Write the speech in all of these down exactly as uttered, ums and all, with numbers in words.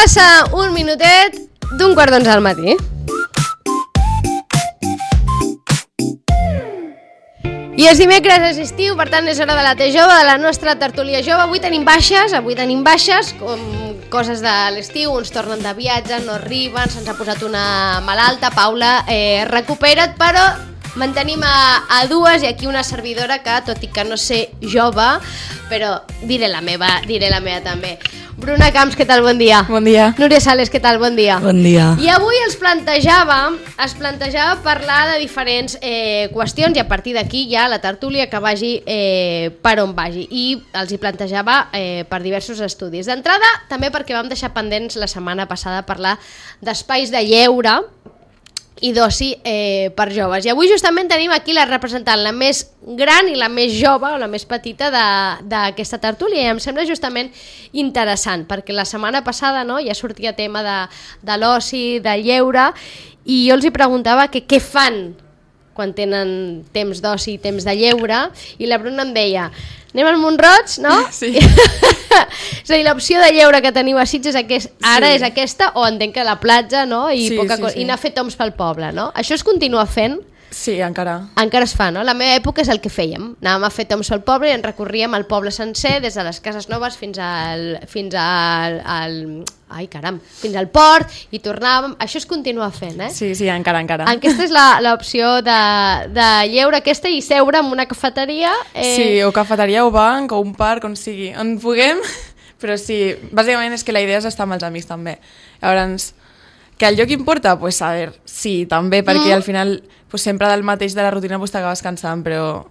Passa un minutet d'un quart d'onze del matí. I és dimecres, és estiu, per tant és hora de la T jove, de la nostra tertúlia jove. Avui tenim baixes, avui tenim baixes, com coses de l'estiu, uns tornen de viatge, no arriben, se'ns ha posat una malalta. Paula, eh, recupera't, però mantenim a, a dues i aquí una servidora que, tot i que no sé jove, però diré la meva, diré la meva també. Bruna Camps, què tal? Bon dia. Bon dia. Núria Sales, què tal? Bon dia. Bon dia. I avui es plantejava, es plantejava parlar de diferents eh, qüestions i a partir d'aquí ja la tertúlia que vagi eh, per on vagi. I els hi plantejava eh, per diversos estudis. D'entrada, també perquè vam deixar pendents la setmana passada parlar d'espais de lleure i d'oci eh, per joves. I avui justament tenim aquí la representant, la més gran i la més jove o la més petita d'aquesta tertúlia, i em sembla justament interessant, perquè la setmana passada, no, ja sortia tema de, de l'oci, de lleure, i jo els hi preguntava que què fan quan tenen temps d'oci i temps de lleure, i la Bruna em deia, anem al Mont-roig, no? Sí. És a dir, l'opció de lleure que teniu a Sitges aquest, ara sí. És aquesta, o entenc que la platja, no? I, sí, poca sí, cosa, sí. I anar a fer toms pel poble, no? Això es continua fent? Sí, encara. Encara es fa, no? La meva època és el que fèiem. Anàvem a fer toms al poble i ens recorríem al poble sencer, des de les cases noves fins al... fins al, al ai, caram, fins al port, i tornàvem... Això es continua fent, eh? Sí, sí, encara, encara. Aquesta és l'opció de, de lleure aquesta i seure en una cafeteria. Eh... Sí, o cafeteria o banc o un parc, on sigui. On puguem, però sí, bàsicament és que la idea és estar amb els amics també. Llavors, que el lloc importa? Pues a veure, sí, també, perquè mm. al final pues, sempre del mateix de la rutina pues, t'acabes cansant, però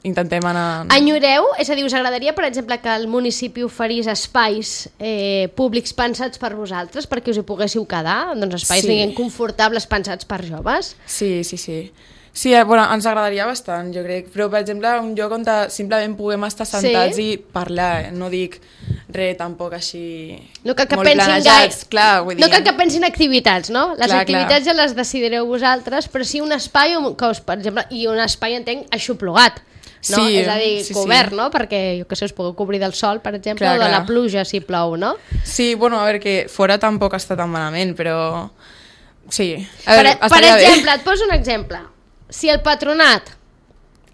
intentem anar... Enyoreu? És a dir, us agradaria, per exemple, que el municipi oferís espais eh, públics pensats per vosaltres, perquè us hi poguéssiu quedar? Doncs espais sí. diguem, confortables pensats per joves? Sí, sí, sí. Sí, eh, bueno, ens agradaria bastant, jo crec. Però, per exemple, un lloc on simplement puguem estar sentats sí? i parlar. Eh? No dic res tampoc així no cal que molt planejats. Clar, vull dir, no cal que pensin activitats, no? Les clar, activitats clar. ja les decidireu vosaltres, però sí un espai, que us, per exemple, i un espai, entenc, aixoplugat. No? Sí, és a dir, sí, cobert, sí. no? Perquè, jo que sé, us pugueu cobrir del sol, per exemple, clar, o de clar. la pluja, si plou, no? Sí, bueno, a veure, que fora tampoc està tan malament, però... Sí, a per, veure, per exemple, bé. et poso un exemple. Si el patronat,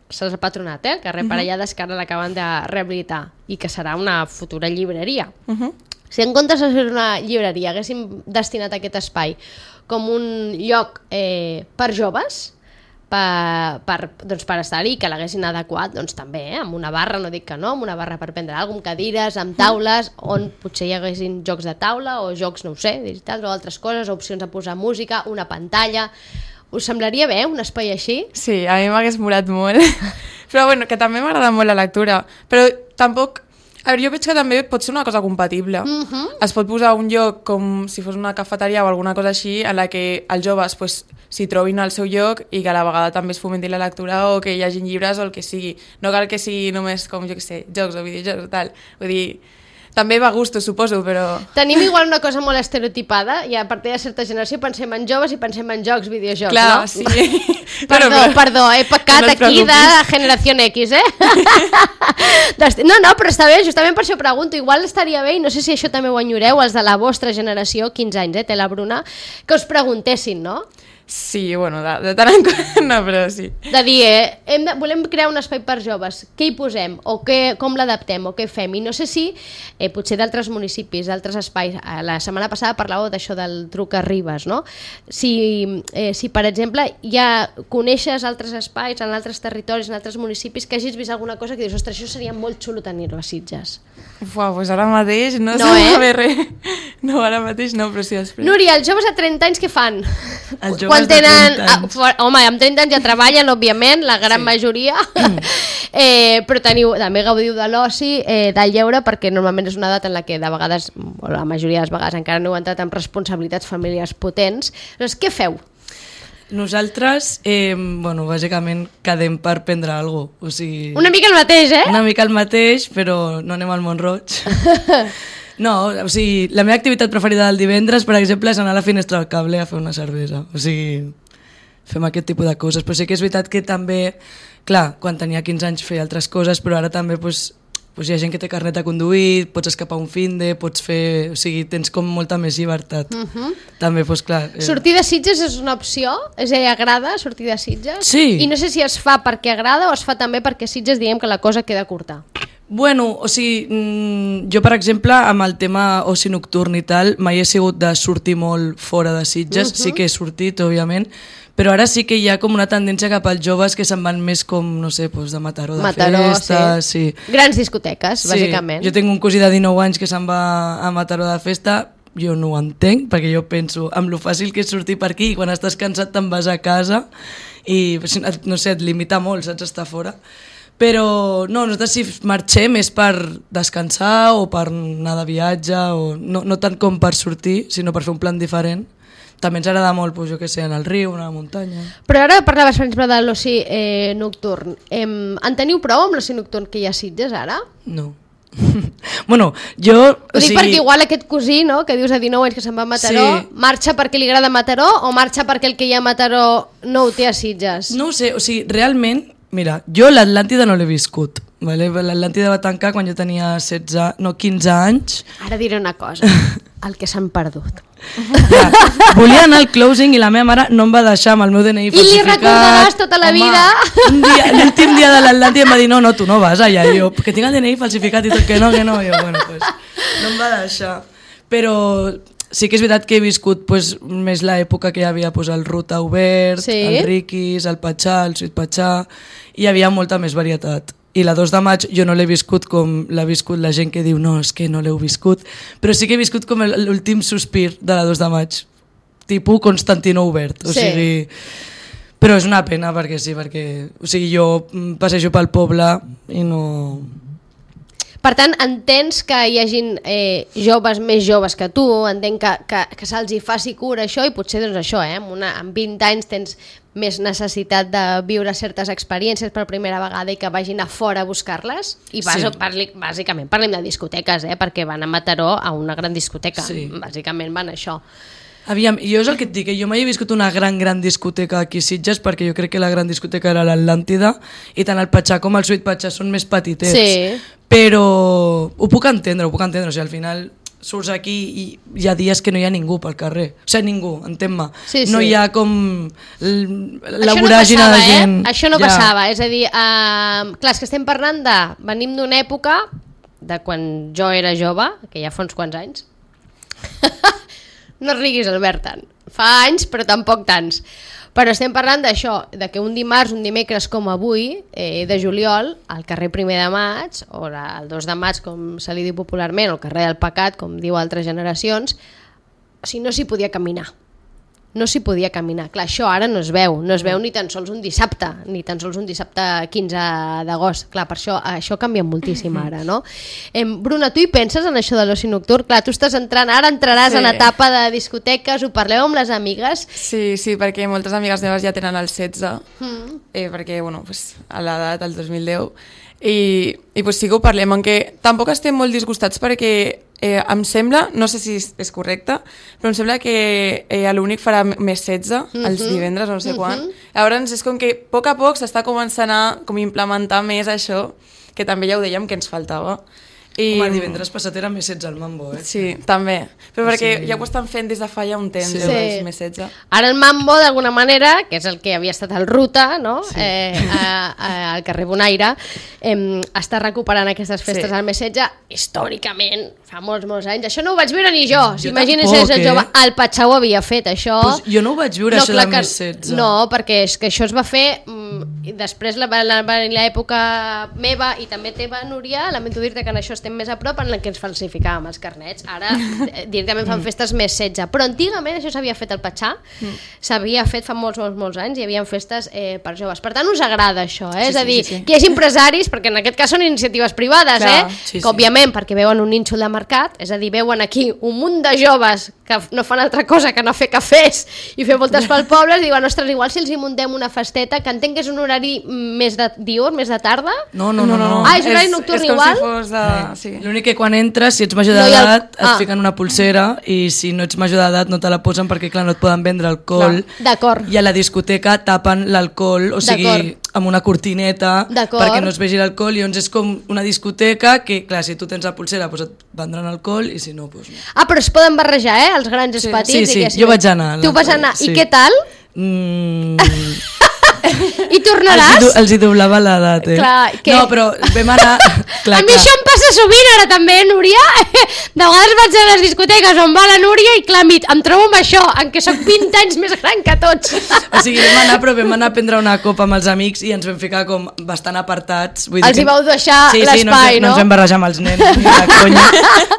serà el patronat, eh? Que Uh-huh. Parellades que ara l'acaben de rehabilitar i que serà una futura llibreria. Uh-huh. Si en comptes de ser una llibreria haguéssim destinat aquest espai com un lloc eh, per joves, per, per, doncs per estar-hi, que l'haguessin adequat, doncs també, eh, amb una barra, no dic que no, amb una barra per prendre alguna cosa, amb cadires, amb taules, on potser hi haguessin jocs de taula o jocs, no ho sé, digitals o altres coses, opcions a posar música, una pantalla... Us semblaria bé un espai així? Sí, a mi m'hagués molat molt. Però bueno, que també m'agrada molt la lectura. Però tampoc... A veure, jo veig que també pot ser una cosa compatible. Uh-huh. Es pot posar un lloc com si fos una cafeteria o alguna cosa així en la que els joves pues, s'hi trobin al seu lloc i que a la vegada també es fomenti la lectura o que hi hagi llibres o el que sigui. No cal que sigui només com, jo què sé, jocs o videojocs o tal. Vull dir... També va a gusto, suposo, però... Tenim igual una cosa molt estereotipada i a partir de certa generació pensem en joves i pensem en jocs, videojocs, clar, no? Sí. Perdó, però, perdó, he pecat no aquí de generació X, eh? No, no, però està bé, justament per això pregunto. Igual estaria bé, i no sé si això també ho enyoreu, els de la vostra generació, quinze anys, eh, té la Bruna, que us preguntessin, no? Sí, bueno, de, de tant en quant, no, però sí. De dir, eh, hem de, volem crear un espai per joves, què hi posem, o què, com l'adaptem, o què fem, i no sé si, eh, potser d'altres municipis, d'altres espais, la setmana passada parlàveu d'això del truc a Ribes, no? Si, eh, si per exemple, ja coneixes altres espais en altres territoris, en altres municipis, que hagis vist alguna cosa que dius, ostres, això seria molt xulo tenir-ho a Sitges. Uau, doncs ara mateix no, no sé eh? bé res. No, ara mateix no, però sí després. Núria, els joves a trenta anys què fan? Els joves Quan tenen, de trenta anys. Ah, home, amb trenta anys ja treballen, òbviament, la gran sí. majoria, eh, però teniu, també gaudiu de l'oci, eh, del lleure, perquè normalment és una edat en la que de vegades, o la majoria de les vegades encara no heu entrat amb responsabilitats familiars potents. Doncs què feu? Nosaltres, eh, bueno, bàsicament quedem per prendre alguna cosa. O sigui, una mica el mateix, eh? Una mica el mateix, però no anem al Mont-roig. No, o sigui, la meva activitat preferida del divendres, per exemple, és anar a la finestra del cable a fer una cervesa. O sigui, fem aquest tipus de coses. Però sí que és veritat que també, clar, quan tenia quinze anys feia altres coses, però ara també pues, pues hi ha gent que té carnet de conduir, pots escapar un finde, pots fer... O sigui, tens com molta més llibertat. Uh -huh. També, doncs clar... Eh... Sortir de Sitges és una opció? És a dir, agrada sortir de Sitges? Sí. I no sé si es fa perquè agrada o es fa també perquè Sitges diguem que la cosa queda curta. Bueno, o sigui, mmm, jo per exemple amb el tema oci nocturn i tal mai he sigut de sortir molt fora de Sitges, uh -huh. sí que he sortit òbviament, però ara sí que hi ha com una tendència cap als joves que se'n van més com, no sé, doncs de Mataró, de Mataró, festa... Sí. sí. Grans discoteques, sí. bàsicament. Jo tinc un cosí de dinou anys que se'n va a Mataró de festa, jo no ho entenc, perquè jo penso amb lo fàcil que és sortir per aquí i quan estàs cansat te'n vas a casa i, no sé, et limita molt, saps, estar fora. Però no, nosaltres si marxem és per descansar o per anar de viatge, o no, no tant com per sortir, sinó per fer un plan diferent. També ens agrada molt, doncs, jo què sé, anar al riu, anar a la muntanya... Però ara parlaves, per exemple, de l'oci eh, nocturn. Eh, en teniu prou amb l'oci nocturn que hi ha a Sitges ara? No. bueno, jo... Ho o dic sigui... perquè igual aquest cosí, no?, que dius a dinou anys que se'n va a Mataró, Sí. marxa perquè li agrada Mataró o marxa perquè el que hi ha a Mataró no ho té a Sitges? No ho sé, o sigui, realment, mira, jo l'Atlàntida no l'he viscut, vale? L'Atlàntida va tancar quan jo tenia setze, no, quinze anys. Ara diré una cosa, el que s'han perdut. Ja, volia anar al closing i la meva mare no em va deixar amb el meu D N I I li falsificat. recordaràs tota la Home, vida. un dia, l'últim dia de l'Atlàntida em va dir no, no, tu no vas allà. I jo, que tinc el D N I falsificat i tot, que no, que no. I jo, bueno, pues, no em va deixar. Però sí que és veritat que he viscut pues, més l'època que hi havia pues, el Ruta Obert, Sí. el Riquis, el Patxà, el Sweet Patxà, i hi havia molta més varietat. I la dos de maig jo no l'he viscut com l'ha viscut la gent que diu no, és que no l'heu viscut, però sí que he viscut com el- l'últim sospir de la dos de maig, tipus Constantino Obert, o Sí. sigui... Però és una pena perquè sí, perquè o sigui, jo mm, passejo pel poble i no... Per tant, entens que hi hagin eh, joves més joves que tu, entenc que, que, que se'ls hi faci cura això i potser doncs això, eh, amb, una, amb vint anys tens més necessitat de viure certes experiències per primera vegada i que vagin a fora a buscar-les i vas, Sí. parli, bàsicament parlem de discoteques, eh, perquè van a Mataró a una gran discoteca, Sí. bàsicament van a això. Aviam, jo és el que et dic, que jo mai he viscut una gran, gran discoteca aquí a Sitges perquè jo crec que la gran discoteca era l'Atlàntida i tant el Patxà com el Sweet Patxà són més petitets. Sí. Però ho puc entendre, ho puc entendre. O sigui, al final surts aquí i hi ha dies que no hi ha ningú pel carrer. O sigui, ningú, entén-me. Sí, sí. No hi ha com l- la Això no voràgina passava, de gent. Eh? Això no Ja. passava, és a dir, eh, clar, és que estem parlant de... Venim d'una època de quan jo era jove, que ja fa uns quants anys. No riguis, Albert, tant. Fa anys, però tampoc tants. Però estem parlant d'això, de que un dimarts, un dimecres com avui, eh, de juliol, al carrer Primer de Maig, o la, el dos de maig, com se li diu popularment, o el carrer del Pecat, com diu altres generacions, o sigui, no s'hi podia caminar. No s'hi podia caminar. Clar, això ara no es veu, no es veu ni tan sols un dissabte, ni tan sols un dissabte quinze d'agost. Clar, per això això canvia moltíssim ara, no? Eh, Bruna, tu hi penses en això de l'oci nocturn? Clar, tu estàs entrant, ara entraràs Sí. en etapa de discoteques, ho parleu amb les amigues. Sí, sí, perquè moltes amigues meves ja tenen el setze, Mm. eh, perquè, bueno, pues, a l'edat, el dos mil deu, i, i pues, sí que ho parlem, aunque tampoc estem molt disgustats perquè eh, em sembla, no sé si és, és correcte, però em sembla que eh, l'únic farà més setze, els divendres, no sé quan. Llavors és com que a poc a poc s'està començant a com implementar més això, que també ja ho dèiem que ens faltava. I... Home, divendres passat era més setze al Mambo, eh? Sí, també. Però O perquè sigui- ja ho estan fent des de fa ja un temps, Sí. sí. Sí. més setze. Ara el Mambo, d'alguna manera, que és el que havia estat el Ruta, no? Sí. eh, a, a, al carrer Bonaire, eh, està recuperant aquestes festes Sí. al mes setze, històricament, fa molts, molts anys. Això no ho vaig viure ni jo. Jo Imagina't tampoc, ser eh? jove. El Patxà ho havia fet, això. Pues jo no ho vaig viure, això clar del que- mes setze. No, perquè és que això es va fer... Mm, i després la- la- va venir l'època meva i també teva, Núria, lamento dir-te que en això estem més a prop, en la que ens falsificàvem els carnets. Ara eh, directament fan festes més setze. Però antigament això s'havia fet al Patxà, s'havia fet fa molts, molts, molts anys, hi havia festes eh, per joves. Per tant, us agrada això, eh? Sí, és a sí, dir, sí, sí. que hi hagi empresaris, perquè en aquest cas són iniciatives privades, Clar, eh? sí, que sí. òbviament perquè veuen un nínxol de mercat, és a dir, veuen aquí un munt de joves que no fan altra cosa que no fer cafès i fer voltes pel poble, i diuen, ostres, igual si els hi muntem una festeta, que entenc que és un horari més de diurn, més de tarda. No, no, no. no. Ah, és horari nocturn és com igual? si fos de... Sí. L'únic que quan entres, si ets major No hi ha- d'edat, et Ah. fiquen una pulsera i si no ets major d'edat no te la posen perquè clar, no et poden vendre alcohol. D'acord. I a la discoteca tapen l'alcohol, o sigui, D'acord. amb una cortineta perquè no es vegi l'alcohol, i llavors és com una discoteca que, clar, si tu tens la pulsera doncs et vendran alcohol i si no, doncs no. Ah, però es poden barrejar, eh, els grans i els petits. Sí, sí, i que si jo vaig anar. Tu vas anar, sí. I què tal? Mm... I tornaràs? Els hi, els hi doblava l'edat, eh? Clar, que... No, però vam anar... clar, a mi clar. això em passa sovint ara també, eh, Núria? De vegades vaig a les discoteques on va la Núria i clar, em trobo amb això, en què soc vint anys més gran que tots. O sigui, vam anar, però vam anar a prendre una copa amb els amics i ens vam ficar com bastant apartats. Vull dir els que... hi vau deixar sí, l'espai, sí, no? Sí, no? no ens vam barrejar amb els nens, ni de conya.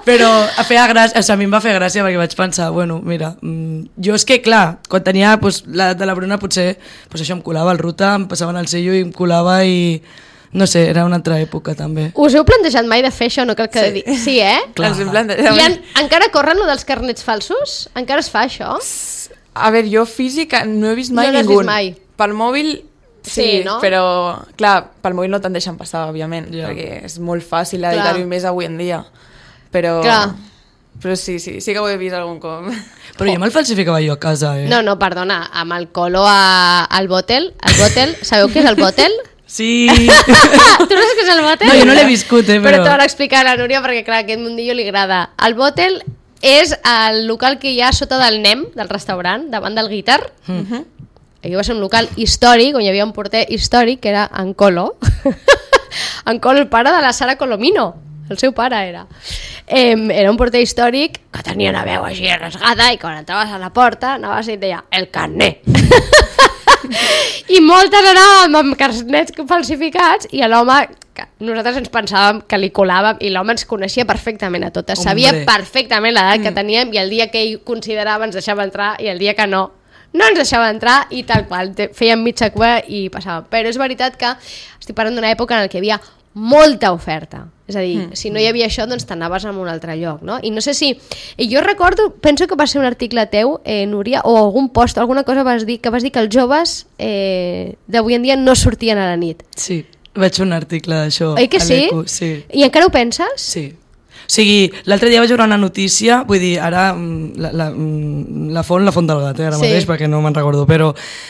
Però a, feia gràcia, o sigui, a mi em va fer gràcia perquè vaig pensar, bueno, mira, mmm, jo és que, clar, quan tenia pues, la de la Bruna potser pues, això em colava el ruta, em passaven el sello i em colava i... No sé, era una altra època també. Us heu plantejat mai de fer això? No cal que sí, sí eh? Clar. Ens hem plantejat. I en, encara corren lo dels carnets falsos? Encara es fa això? A veure, jo física no he vist mai no ningú. No mai. Pel mòbil sí, sí no? Però clar, pel mòbil no te'n deixen passar, òbviament, yeah. perquè és molt fàcil editar-ho més avui en dia. Però... Clar. Però sí, sí, sí que ho he vist algun cop. Però jo me'l falsificava jo a casa, eh? No, no, perdona, amb el colo a, al bòtel, el bòtel, sabeu què és el bòtel? Sí. Tu no saps què és el bòtel? No, jo no l'he viscut, eh, però... Però t'ho van explicar a la Núria perquè, clar, aquest mundillo li agrada. El bòtel és el local que hi ha sota del N E M, del restaurant, davant del Guitar. Mm. Aquí va ser un local històric, on hi havia un porter històric, que era en Colo. En Colo, el pare de la Sara Colomino. El seu pare era. Eh, era un porter històric que tenia una veu així rasgada i quan entraves a la porta anaves i et deia el carnet. I moltes anàvem amb carnets falsificats i l'home, nosaltres ens pensàvem que li colàvem i l'home ens coneixia perfectament a totes. Hombre. Sabia perfectament l'edat que teníem i el dia que ell considerava ens deixava entrar i el dia que no, no ens deixava entrar i tal qual, fèiem mitja cua i passàvem. Però és veritat que estic parlant d'una època en què hi havia molta oferta, és a dir, mm. si no hi havia això doncs t'anaves a un altre lloc, no? I no sé si, i jo recordo, penso que va ser un article teu, eh, Núria, o algun post, alguna cosa vas dir, que vas dir que els joves eh, d'avui en dia no sortien a la nit. Sí, vaig fer un article d'això. Oi que sí? sí? I encara ho penses? Sí. O sigui, l'altre dia vaig veure una notícia, vull dir, ara la, la, la font, la font del gat, eh, ara sí. mateix, perquè no me'n recordo, però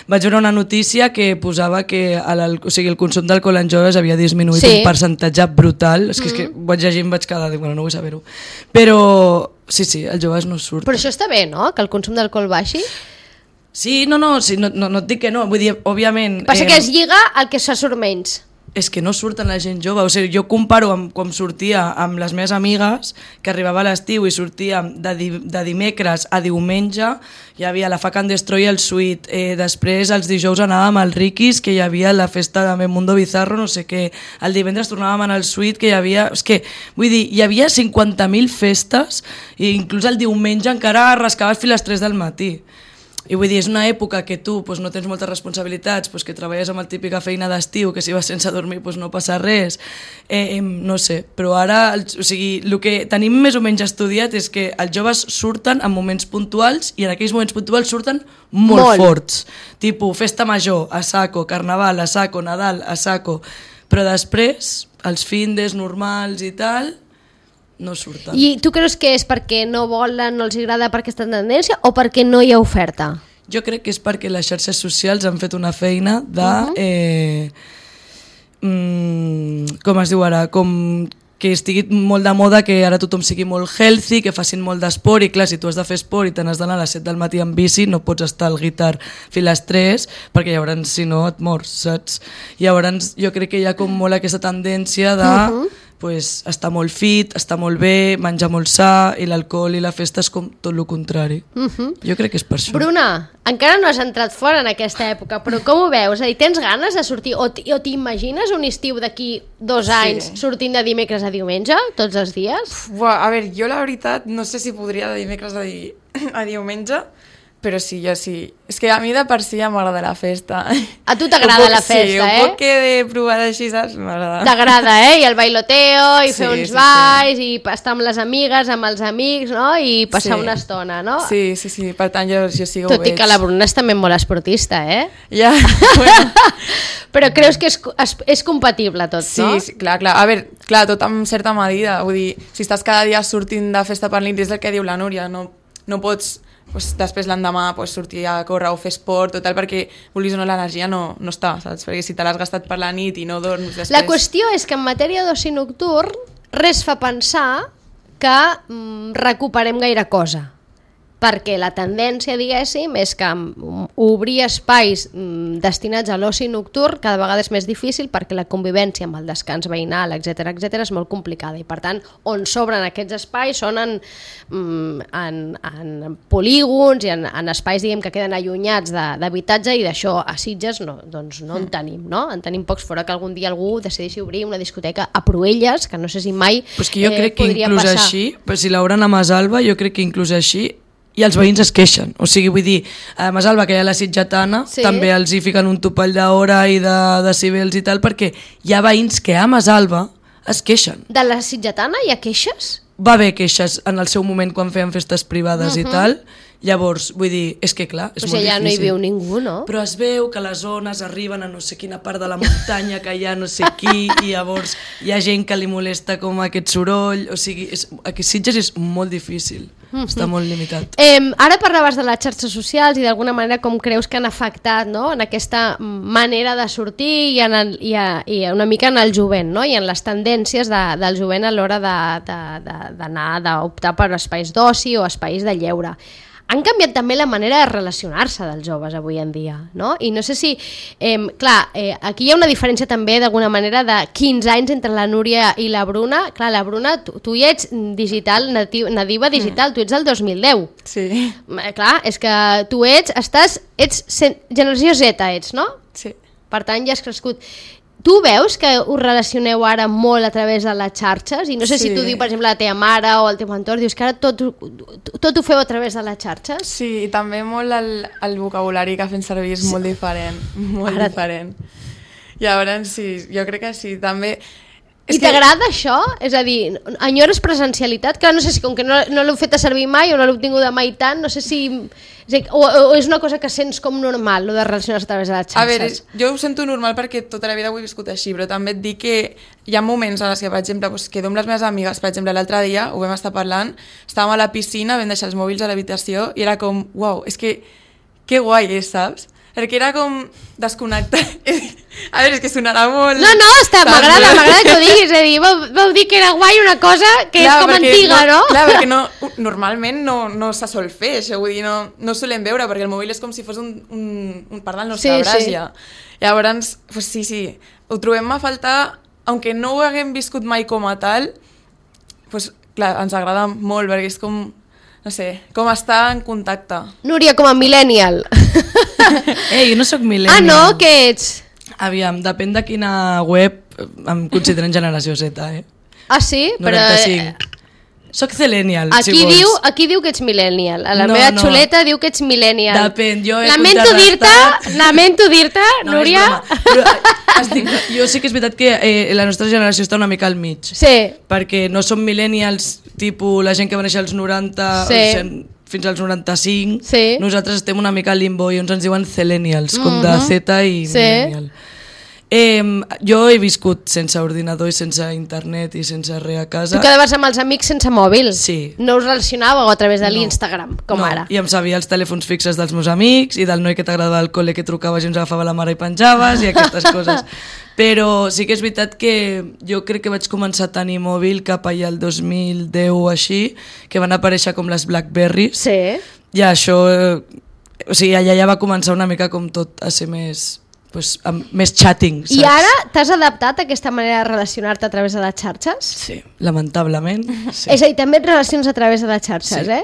vaig veure una notícia que posava que el, o sigui, el consum d'alcohol en joves havia disminuït sí. un percentatge brutal, és que, mm. és que vaig llegir i em vaig quedar, dic, bueno, no vull saber-ho, però sí, sí, els joves no surten. Però això està bé, no?, que el consum d'alcohol baixi? Sí, no, no, sí, no, no, no et dic que no, vull dir, òbviament... Passa eh, que es lliga al que se surt menys. És que no surten la gent jove, o sigui, jo comparo amb quan sortia amb les meves amigues, que arribava a l'estiu i sortíem de, di de dimecres a diumenge, hi havia la Fuck and Destroy al Suite, eh, després els dijous anàvem al Rikis, que hi havia la festa de Mundo Bizarro, no sé què, el divendres tornàvem al Suite, que hi havia... És que, vull dir, hi havia cinquanta mil festes, i inclús el diumenge encara rascaves fins a les tres del matí. I vull dir, és una època que tu pues, no tens moltes responsabilitats, pues, que treballes amb la típica feina d'estiu, que si vas sense dormir pues, no passa res, eh, eh, no sé, però ara, o sigui, el que tenim més o menys estudiat és que els joves surten en moments puntuals i en aquells moments puntuals surten molt, molt. forts, tipus festa major, a saco, carnaval, a saco, Nadal, a saco, però després, els findes normals i tal... no surten. I tu creus que és perquè no volen, no els agrada per aquesta tendència o perquè no hi ha oferta? Jo crec que és perquè les xarxes socials han fet una feina de... Uh-huh. eh, mm, com es diu ara? Com que estigui molt de moda, que ara tothom sigui molt healthy, que facin molt d'esport, i clar, si tu has de fer esport i te n'has d'anar a les set del matí en bici, no pots estar al Guitar fins a les tres, perquè llavors, si no, et mors, saps? Llavors, jo crec que hi ha com molt aquesta tendència de... Uh-huh. pues, està molt fit, està molt bé, menjar molt sa, i l'alcohol i la festa és com tot el contrari. Uh-huh. Jo crec que és per això. Bruna, encara no has entrat fora en aquesta època, però com ho veus? És a dir, tens ganes de sortir, o t'imagines un estiu d'aquí dos anys sí. sortint de dimecres a diumenge, tots els dies? Buah, a veure, jo la veritat no sé si podria de dimecres a, di a diumenge, però sí, jo sí. És que a mi de per si ja m'agrada la festa. A tu t'agrada la festa, sí, eh? Sí, un poc que de provar així, saps? M'agrada. T'agrada, eh? I el bailoteo, i sí, fer uns sí, balls, sí. i estar amb les amigues, amb els amics, no? I passar sí. una estona, no? Sí, sí, sí. Per tant, jo, jo sí que ho Tot veig. i que la Bruna és també molt esportista, eh? Ja, bueno. Però creus que és, és, és compatible tot, sí, no? Sí, clar, clar. A veure, clar, tot amb certa medida. Vull dir, si estàs cada dia sortint de festa per nit, és el que diu la Núria, no, no pots pues, després l'endemà pues, sortir a córrer o fer esport, total, perquè vulguis o no l'energia no, no està, saps? Perquè si te l'has gastat per la nit i no dorms després... La qüestió és que en matèria d'oci nocturn res fa pensar que mm, recuperem gaire cosa, perquè la tendència, diguéssim, és que obrir espais destinats a l'oci nocturn cada vegada és més difícil perquè la convivència amb el descans veïnal, etcètera, etcètera, és molt complicada i per tant on s'obren aquests espais són en, en, en polígons i en, en espais, diguem, que queden allunyats d'habitatge i d'això a Sitges no, doncs no en tenim, no? En tenim pocs, fora que algun dia algú decideixi obrir una discoteca a Pruelles, que no sé si mai pues que jo eh, crec que podria inclús passar. Així, però si l'obren a Masalva, jo crec que inclús així i els veïns es queixen, o sigui, vull dir, a Masalva, que hi ha la sitgetana, sí. també els hi fiquen un topall d'hora i de decibels i tal, perquè hi ha veïns que a Masalva es queixen. De la sitgetana hi ha queixes? Va haver queixes en el seu moment quan feien festes privades uh -huh. i tal, llavors, vull dir, és que clar, és o molt sigui, ja difícil. no hi viu ningú, no? Però es veu que les zones arriben a no sé quina part de la muntanya, que hi ha no sé qui, i llavors hi ha gent que li molesta com aquest soroll, o sigui, és, aquí a Sitges és molt difícil, uh -huh. està molt limitat. Eh, ara parlaves de les xarxes socials i d'alguna manera com creus que han afectat, no?, en aquesta manera de sortir i, en el, i, a, i una mica en el jovent, no?, i en les tendències de, del jovent a l'hora d'anar, d'optar per espais d'oci o espais de lleure. Han canviat també la manera de relacionar-se dels joves avui en dia, no? I no sé si... Eh, clar, eh, aquí hi ha una diferència també d'alguna manera de quinze anys entre la Núria i la Bruna. Clar, la Bruna, tu, tu ja ets digital, natiu, nadiva digital, mm. tu ets del dos mil deu. Sí. Eh, clar, és que tu ets, estàs, ets generació Z, ets, no? Sí. Per tant, ja has crescut. Tu veus que us relacioneu ara molt a través de les xarxes? I no sé sí. si tu dius, per exemple, la teva mare o el teu entorn, dius que ara tot, tot ho feu a través de les xarxes? Sí, i també molt el, el vocabulari que fem servir és sí. molt diferent, molt ara... diferent. Llavors, sí, jo crec que sí, també... És I que... t'agrada això? És a dir, enyores presencialitat? Que no sé si com que no, no l'heu fet a servir mai o no l'heu tingut mai tant, no sé si... És dir, o, o és una cosa que sents com normal, lo de relacionar-se a través de les xarxes? A veure, jo ho sento normal perquè tota la vida ho he viscut així, però també et dic que hi ha moments en els que, per exemple, doncs, quedo amb les meves amigues, per exemple, l'altre dia ho vam estar parlant, estàvem a la piscina, vam deixar els mòbils a l'habitació i era com, uau, és que que guai és, saps? Perquè era com desconnectar. A veure, és que sonarà molt... No, no, m'agrada, m'agrada que ho diguis. És a dir, vau, vau dir que era guai una cosa que clar, és com antiga, no? no? Clar, perquè no, normalment no, no se sol fer això, vull dir, no, no ho solem veure, perquè el mòbil és com si fos un, un, un part del nostre sí, braç sí. ja. Llavors, pues sí, sí, ho trobem a faltar, aunque no ho haguem viscut mai com a tal, pues clar, ens agrada molt, perquè és com... no sé, com estar en contacte. Núria, com a millennial. Ei, jo no sóc millennial. Ah, no? Què ets? Aviam, depèn de quina web em consideren generació Z, eh? Ah, sí? noranta-cinc. Però... Soc Celenial, aquí si vols. Diu, aquí diu que ets millennial. A la no, meva no. xuleta diu que ets millennial. Depèn, jo he lamento dir-te, lamento dir-te, no, Núria. Però, estic, jo sí que és veritat que eh, la nostra generació està una mica al mig. Sí. Perquè no som millennials, tipus la gent que va néixer als noranta, sí. o sigui, fins als noranta-cinc. Sí. Nosaltres estem una mica al limbo i ens ens diuen Celenials, com mm-hmm. de Z i sí. millennial. Eh, jo he viscut sense ordinador i sense internet i sense res a casa. Tu quedaves amb els amics sense mòbil? Sí. No us relacionàveu a través de no. l'Instagram, com no. ara? I em sabia els telèfons fixes dels meus amics i del noi que t'agradava al col·le que trucaves i ens agafava la mare i penjaves i aquestes coses. Però sí que és veritat que jo crec que vaig començar a tenir mòbil cap allà el dos mil deu o així, que van aparèixer com les Blackberries. Sí. I això, eh, o sigui, allà ja va començar una mica com tot a ser més... Pues, amb més chatting, saps? I ara t'has adaptat a aquesta manera de relacionar-te a través de les xarxes? Sí, lamentablement. Sí. És a dir, també et relacions a través de les xarxes, sí. eh?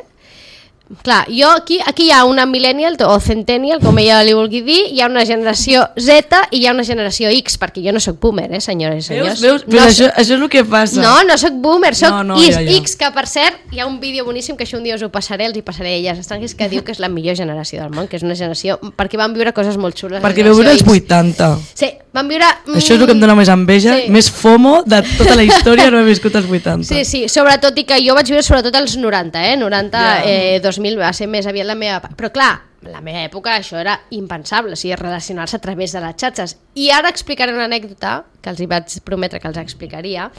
Clar, jo aquí, aquí hi ha una millennial o centennial, com ella li vulgui dir, hi ha una generació Z i hi ha una generació X, perquè jo no sóc boomer, eh, senyores i senyors. Veus, veus? Però no, això, això és el que passa. No, no sóc boomer, sóc no, no, X, ja, ja. X, que per cert, hi ha un vídeo boníssim que això un dia us ho passaré, els hi passaré a elles estrangues, que diu que és la millor generació del món, que és una generació, perquè van viure coses molt xules. Perquè veu viure els vuitanta. Sí, van viure... Mm, això és el que em dona més enveja, sí. més FOMO de tota la història, no he viscut els vuitanta. Sí, sí, sobretot, i que jo vaig viure sobretot als noranta, eh? noranta, yeah. eh, dos mil, va ser més aviat la meva... Però clar, la meva època això era impensable, o sigui, relacionar-se a través de les xarxes. I ara explicaré una anècdota, que els hi vaig prometre que els explicaria,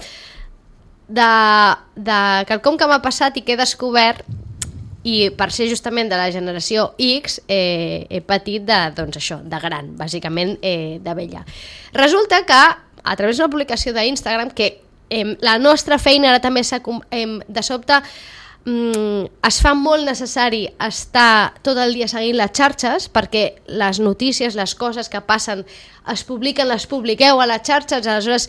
de, de quelcom que m'ha passat i que he descobert i per ser justament de la generació X eh, he patit de, doncs això, de gran, bàsicament eh, de vella. Resulta que a través d'una publicació d'Instagram que eh, la nostra feina ara també s'ha eh, de sobte mm, es fa molt necessari estar tot el dia seguint les xarxes perquè les notícies, les coses que passen es publiquen, les publiqueu a les xarxes, aleshores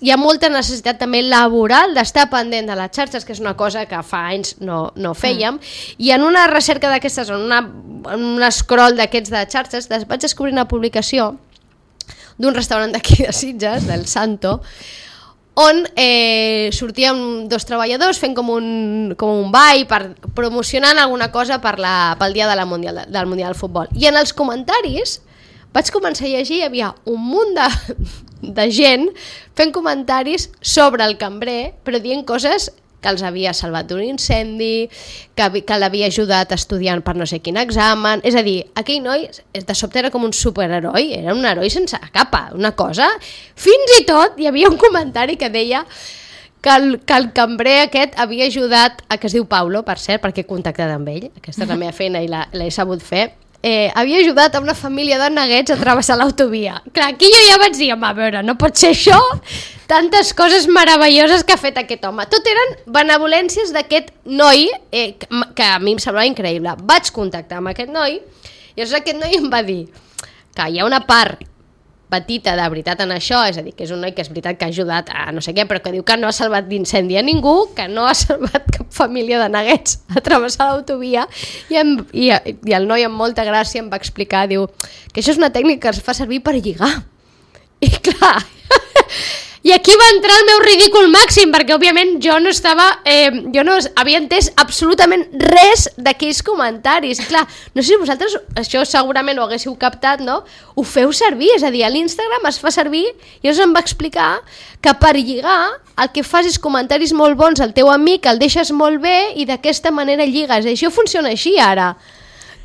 hi ha molta necessitat també laboral d'estar pendent de les xarxes, que és una cosa que fa anys no, no fèiem, mm. i en una recerca d'aquestes, en, una, en un scroll d'aquests de xarxes, vaig descobrir una publicació d'un restaurant d'aquí de Sitges, del Santo, on eh, sortíem dos treballadors fent com un, com un ball per, promocionant alguna cosa per la, pel dia de la mundial, del Mundial de Futbol. I en els comentaris vaig començar a llegir, hi havia un munt de, de gent fent comentaris sobre el cambrer, però dient coses que els havia salvat d'un incendi, que, que l'havia ajudat estudiant per no sé quin examen, és a dir, aquell noi de sobte era com un superheroi, era un heroi sense capa, una cosa, fins i tot hi havia un comentari que deia que el, que el cambrer aquest havia ajudat, a que es diu Paulo, per cert, perquè he contactat amb ell, aquesta és la meva feina i l'he sabut fer, Eh, havia ajudat a una família de neguets a travessar l'autovia. Clar, aquí jo ja vaig dir, home, a veure, no pot ser això, tantes coses meravelloses que ha fet aquest home. Tot eren benevolències d'aquest noi, eh, que, que a mi em semblava increïble. Vaig contactar amb aquest noi, i llavors aquest noi em va dir que hi ha una part petita de veritat en això, és a dir, que és un noi que és veritat que ha ajudat a no sé què, però que diu que no ha salvat d'incendi a ningú, que no ha salvat cap família de neguets a travessar l'autovia, i, em, i, i el noi amb molta gràcia em va explicar, diu, que això és una tècnica que es fa servir per lligar. I clar, i aquí va entrar el meu ridícul màxim, perquè òbviament jo no estava, eh, jo no havia entès absolutament res d'aquells comentaris. Clar, no sé si vosaltres això segurament ho haguéssiu captat, no? Ho feu servir, és a dir, a l'Instagram es fa servir, i llavors em va explicar que per lligar el que fas és comentaris molt bons al teu amic, el deixes molt bé i d'aquesta manera lligues. I això funciona així ara.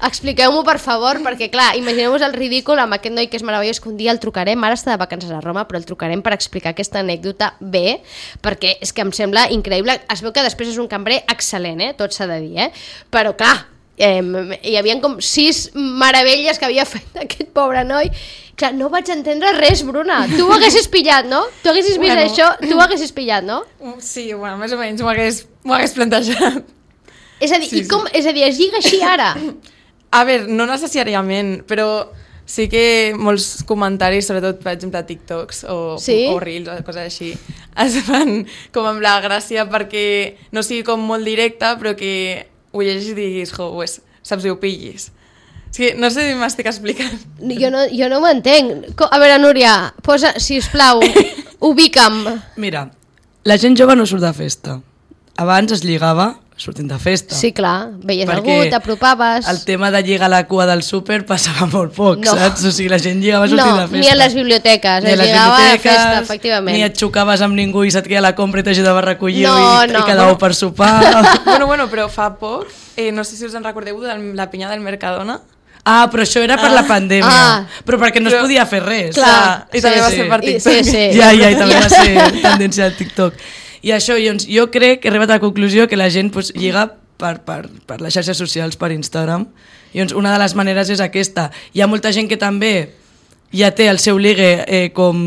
Expliqueu-m'ho, per favor, perquè, clar, imagineu-vos el ridícul amb aquest noi que és meravellós, que un dia el trucarem, ara està de vacances a Roma, però el trucarem per explicar aquesta anècdota bé, perquè és que em sembla increïble. Es veu que després és un cambrer excel·lent, eh? Tot s'ha de dir, eh? Però, clar, eh, hi havia com sis meravelles que havia fet aquest pobre noi. Clar, no vaig entendre res, Bruna. Tu ho haguessis pillat, no? Tu haguessis vist bueno. això, tu ho haguessis pillat, no? Sí, bueno, més o menys m'ho hagués, m'ho hagués plantejat. És a dir, sí, i com, sí. és a dir, es lliga així ara? A veure, no necessàriament, però sí que molts comentaris, sobretot, per exemple, TikToks o, sí? o Reels o coses així, es fan com amb la gràcia perquè no sigui com molt directe, però que ho llegis i diguis, jo, pues, saps, i ho pillis. És que no sé si m'estic explicant. Jo no, jo no ho entenc. A veure, Núria, posa, sisplau, ubica'm. Mira, la gent jove no surt de festa. Abans es lligava sortint de festa. Sí, clar, veies perquè algú, t'apropaves... el tema de lligar la cua del súper passava molt poc, no. saps? O sigui, la gent lligava sortint no, de festa. Ni a les biblioteques, ni es lligava a festa, efectivament. Ni et xocaves amb ningú i se't queia la compra i t'ajudava a recollir no, i, no. i quedàveu bueno, per sopar. bueno, bueno, però fa poc, eh, no sé si us en recordeu de la pinya del Mercadona. Ah, però això era per ah. la pandèmia. Ah. Però perquè no però, es podia fer res. Clar, ah, I sí, també va sí. ser per TikTok. Sí, sí. Ja, ja, i també va ser tendència al TikTok. I això, doncs, jo crec que he arribat a la conclusió que la gent pues, lliga per, per, per les xarxes socials, per Instagram. I doncs, una de les maneres és aquesta. Hi ha molta gent que també ja té el seu ligue eh, com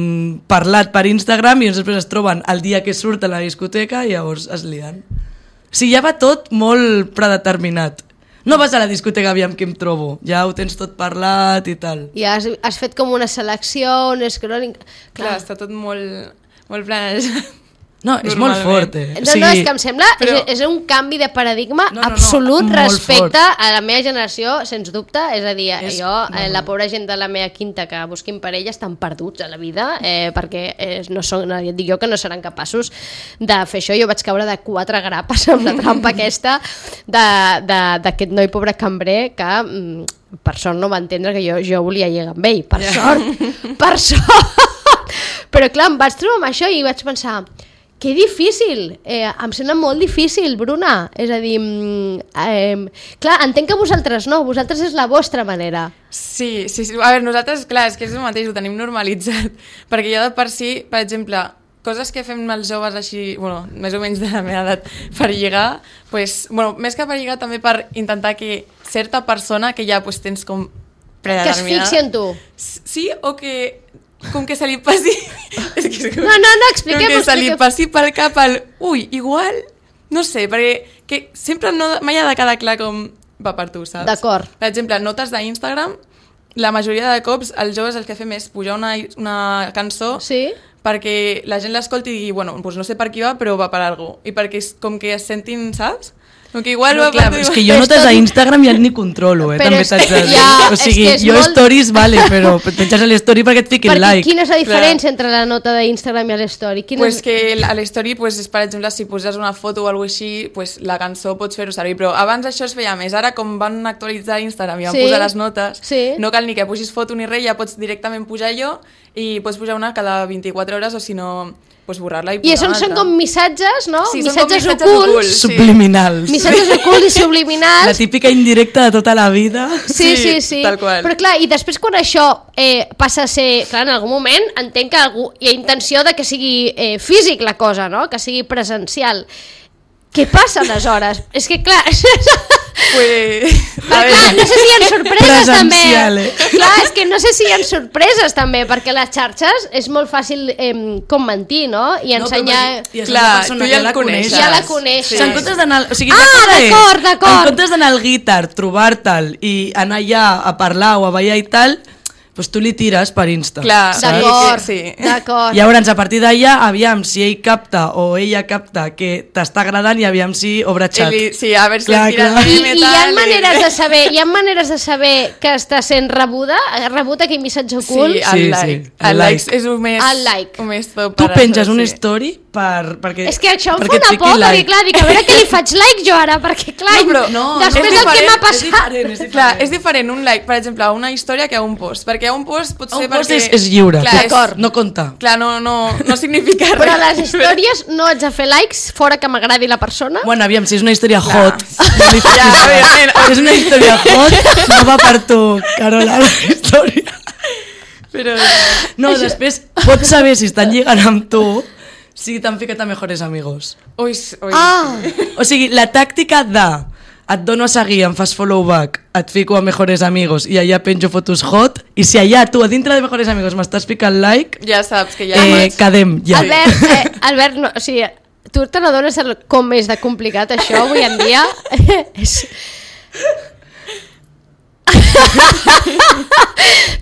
parlat per Instagram i doncs després es troben el dia que surt a la discoteca i llavors es lien. O sigui, ja va tot molt predeterminat. No vas a la discoteca aviam què em trobo, ja ho tens tot parlat i tal. I has, has fet com una selecció, un scrolling... Clar, Clar està tot molt, molt planejat. No, és molt fort, eh? No, no, és que em sembla però... és, és un canvi de paradigma no, no, absolut no, respecte fort. A la meva generació, sens dubte. És a dir, és... jo, eh, la pobra gent de la meva quinta que busquin parella estan perduts a la vida, eh, perquè eh, no són, no, ja et dic jo que no seran capaços de fer això. Jo vaig caure de quatre grapes amb la trampa aquesta d'aquest noi pobre cambrer que... Mm, per sort no va entendre que jo, jo volia lligar amb ell, per yeah. sort, per sort. Però clar, em vaig trobar amb això i vaig pensar... Que difícil, eh, em sembla molt difícil, Bruna. És a dir, eh, clar, entenc que vosaltres no, vosaltres és la vostra manera. Sí, sí, sí, a veure, nosaltres, clar, és que és el mateix, ho tenim normalitzat, perquè jo de per si, per exemple, coses que fem els joves així, bueno, més o menys de la meva edat, per lligar, pues, bueno, més que per lligar també per intentar que certa persona que ja pues, tens com predeterminada... Que es fixi en tu. Sí, o que com que se li passi... és que és com... No, no, no, expliquem-ho. Com que se li expliquem. passi per cap el... Ui, igual... No sé, perquè que sempre no, mai ha de quedar clar com va per tu, saps? D'acord. Per exemple, notes d'Instagram, la majoria de cops els joves el que fem és pujar una, una cançó Sí? perquè la gent l'escolti i digui, bueno, doncs no sé per qui va, però va per algú. I perquè és com que es sentin, saps? Com que igual No, va clar, per tu. és que jo notes a Instagram ja ni controlo, eh? Però També és t'haig de que dir. ja- o sigui, és que és jo molt- stories, vale, però et penges a l'story perquè et fiquin Perquè like. quina és la diferència entre la nota d'Instagram i l'story? Quina Pues és... que a l'story, pues, és, per exemple, si poses una foto o alguna així, pues, la cançó pots fer-ho servir, però abans això es feia més. Ara, com van actualitzar Instagram i van Sí. posar les notes, Sí. no cal ni que pusis foto ni res, ja pots directament pujar jo i pots pujar una cada vint-i-quatre hores o si no, pues, borrar-la i I posar això una són altra. com missatges, no? Sí, són com missatges, missatges ocults. ocults. Sí. Subliminals. Missatges ocults i La subliminals. típica indirecta de tota la vida. Sí, sí, Sí, sí. tal qual. Però clar, i després quan això eh, passa a ser... Clar, en algun moment entenc que algú, hi ha intenció de que sigui eh, físic la cosa, no? Que sigui presencial. Què passa aleshores? És que clar... Pues... Però clar, no sé si hi ha sorpreses també. Presencial, eh? Clar, és que no sé si hi ha sorpreses també, perquè les xarxes és molt fàcil eh, com mentir, no? I ensenyar... I és Clar, una persona, tu ja el la coneixes. Ja la coneixes. O sigui, en comptes d'anar... O sigui, Ah, la cosa és, d'acord, d'acord. En comptes d'anar al guitar, trobar-te'l i anar allà a parlar o a ballar i tal, doncs tu li tires per Insta. Clar, saps? D'acord, Sí. d'acord. Llavors, a partir d'allà, aviam si ell capta o ella capta que t'està agradant i aviam si obre xat. Eli, sí, a veure si Clar, es tira clar. el I, meme i hi ha tal, maneres de saber, hi ha maneres de saber que està sent rebuda, rebut aquell missatge ocult. Sí, el Sí, like. sí, El el like like. és el més... El like. El més top Tu per penges això, una sí. story per, perquè, És que això em fa perquè et una fiqui por, perquè like. clar, dic, a veure què li faig like jo ara, perquè clar, No, però no, després no, és del que m'ha diferent, passat... és diferent, és diferent. Clar, és diferent un like, per exemple, a una història que a un post, perquè a un post pot ser Un post perquè... és, és lliure, Clar, és, d'acord, no compta. clar no, no, no significa res. Però a les històries no haig de fer likes fora que m'agradi la persona. Bueno, aviam, si és una història Clar. hot, no li Ja, fiquis like. evidentment. Si és una història hot, no va per tu, Carola, la història. Però... No, després pots saber si estan lligant amb tu si t'han ficat a mejores amigos. Ui, ui. Ah, O sigui, la tàctica de et dono a seguir, em fas follow back, et fico a mejores amigos i allà penjo fotos hot, i si allà tu a dintre de mejores amigos m'estàs ficant like, Ja saps que ja... eh, quedem ja. Albert, eh, Albert, no, o sigui, tu te n'adones el- com és de complicat això avui en dia? és...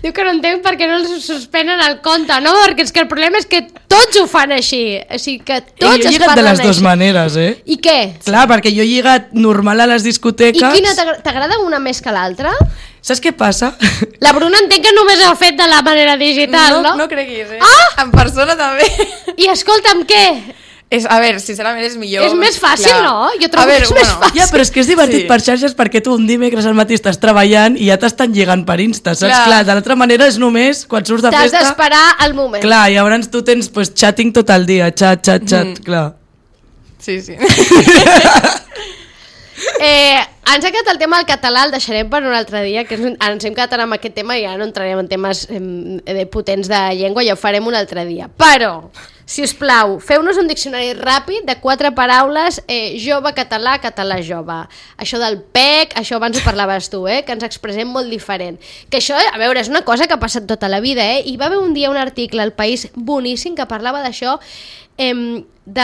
Diu que no entenc per què no els suspenen el compte, no? Perquè és que el problema és que tots ho fan així, o sigui que I tots jo he es lligat de parlen les dues així. maneres, eh? I què? Clar, perquè jo he lligat normal a les I discoteques. quina t'agra- t'agrada una més que l'altra? Saps què passa? La Bruna entenc que només ho ha fet de la manera digital, no? no, no creguis, eh? Ah! En persona també. I escolta'm, què? És, a veure, sincerament és millor. És més fàcil, Clar. no? Jo trobo A veure, que és més bueno, fàcil. Ja, però és que és divertit Sí. per xarxes perquè tu un dimecres al matí estàs treballant i ja t'estan lligant per Insta, saps? Clar. Clar, de l'altra manera és només quan surts de T'has festa... d'esperar el moment. Clar, i llavors tu tens pues, chatting tot el dia, xat, xat, xat, mm. clar. Sí, sí. Eh, ens ha quedat el tema del català, el deixarem per un altre dia, que ens, ens hem quedat amb aquest tema i ja no entrarem en temes eh, potents de llengua, ja ho farem un altre dia. Però, si us plau, feu-nos un diccionari ràpid de quatre paraules, eh, jove, català, català, jove. Això del P E C, això abans ho parlaves tu, eh, que ens expressem molt diferent. Que això, a veure, és una cosa que ha passat tota la vida, eh? Hi va haver un dia un article al País boníssim que parlava d'això, eh, de...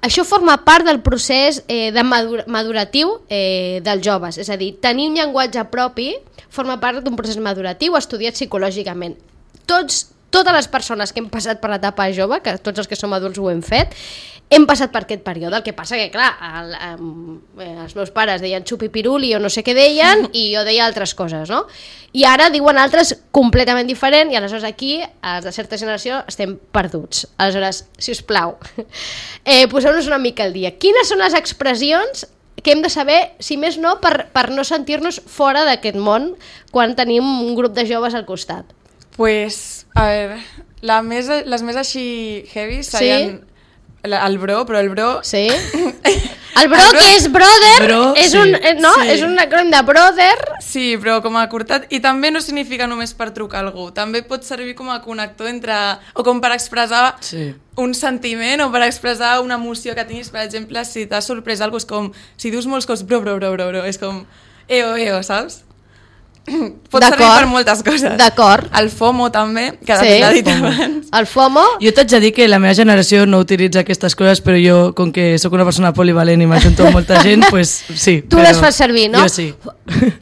això forma part del procés eh, de madur maduratiu eh, dels joves, és a dir, tenir un llenguatge propi forma part d'un procés maduratiu estudiat psicològicament. Tots, totes les persones que hem passat per l'etapa jove, que tots els que som adults ho hem fet, hem passat per aquest període. El que passa que, clar, el, eh, els meus pares deien xupipiruli o no sé què deien i jo deia altres coses, no? I ara diuen altres completament diferent i aleshores aquí, els de certa generació, estem perduts. Aleshores, si us plau, eh, poseu-nos una mica al dia. Quines són les expressions que hem de saber, si més no, per, per no sentir-nos fora d'aquest món quan tenim un grup de joves al costat? Pues, a veure, la més, les més així heavy serien la, el bro, però el bro... Sí? El bro, El bro- que és brother, Bro, és, sí, un, eh, no? sí. és un acrònim de brother, Sí, Sí, però com a curtat. I també no significa només per trucar a algú. També pot servir com a connector entre... O com per expressar sí. un sentiment o per expressar una emoció que tinguis. Per exemple, si t'has sorprès alguna cosa, és com... Si dius molts cops, bro, bro, bro, bro, bro, és com... Eo, eo, saps? Pot servir per moltes coses. D'acord. El FOMO també, que sí. l'ha dit abans. El FOMO... Jo t'haig de dir que la meva generació no utilitza aquestes coses, però jo, com que sóc una persona polivalent i m'ajunto amb molta gent, pues sí. Tu les fas servir, no? Jo sí.